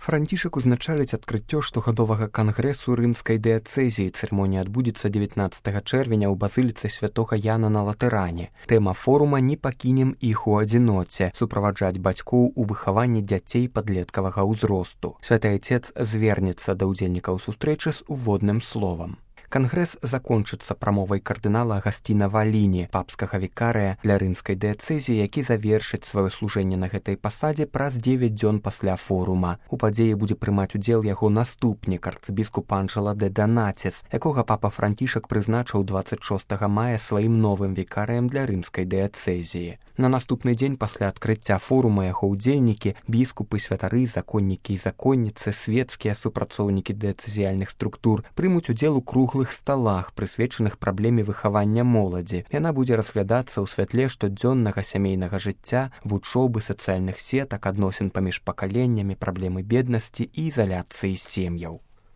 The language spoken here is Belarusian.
Францішак узначаліць адкрыццё штогадовага кангрэсу рымскай дыяцэзіі. Цырымонія адбудзецца 19 чэрвеня ў базыліцы святога Яна на Латэране. Тэма форума «Не пакінем іх у адзіноце» – суправаджаць бацькоў у выхаванні дзяцей падлеткавага ўзросту. Святы Айцец звернецца да ўдзельнікаў сустрэчы з уводным словам. Кангрэс закончыцца прамовай кардынала Агасціна Валіні, папскага вікарыя для рымскай дыяцэзіі, які завершыць сваё служэнне на гэтай пасадзе праз 9 дзён пасля форума. У падзеі будзе прымаць удзел яго наступнік, арцыбіскуп Анджела де Донатис, якога папа Францішак прызначыў 26 мая сваім новым вікарыем для рымскай дыяцэзіі. На наступны дзень пасля адкрыцця форума яго ўдзельнікі, біскупы, святары, законнікі і законніцы, свецкія супрацоўнікі дыяцэзіяльных структур прымуць удзел у круглых сталах, прысвечаных праблеме выхавання моладзі. Яна будзе разглядацца ў святле штодзённага сямейнага жыцця, вучобы, сацыяльных сетак, адносін паміж пакаленнямі, праблемы беднасці і ізаляцыі сем'яў.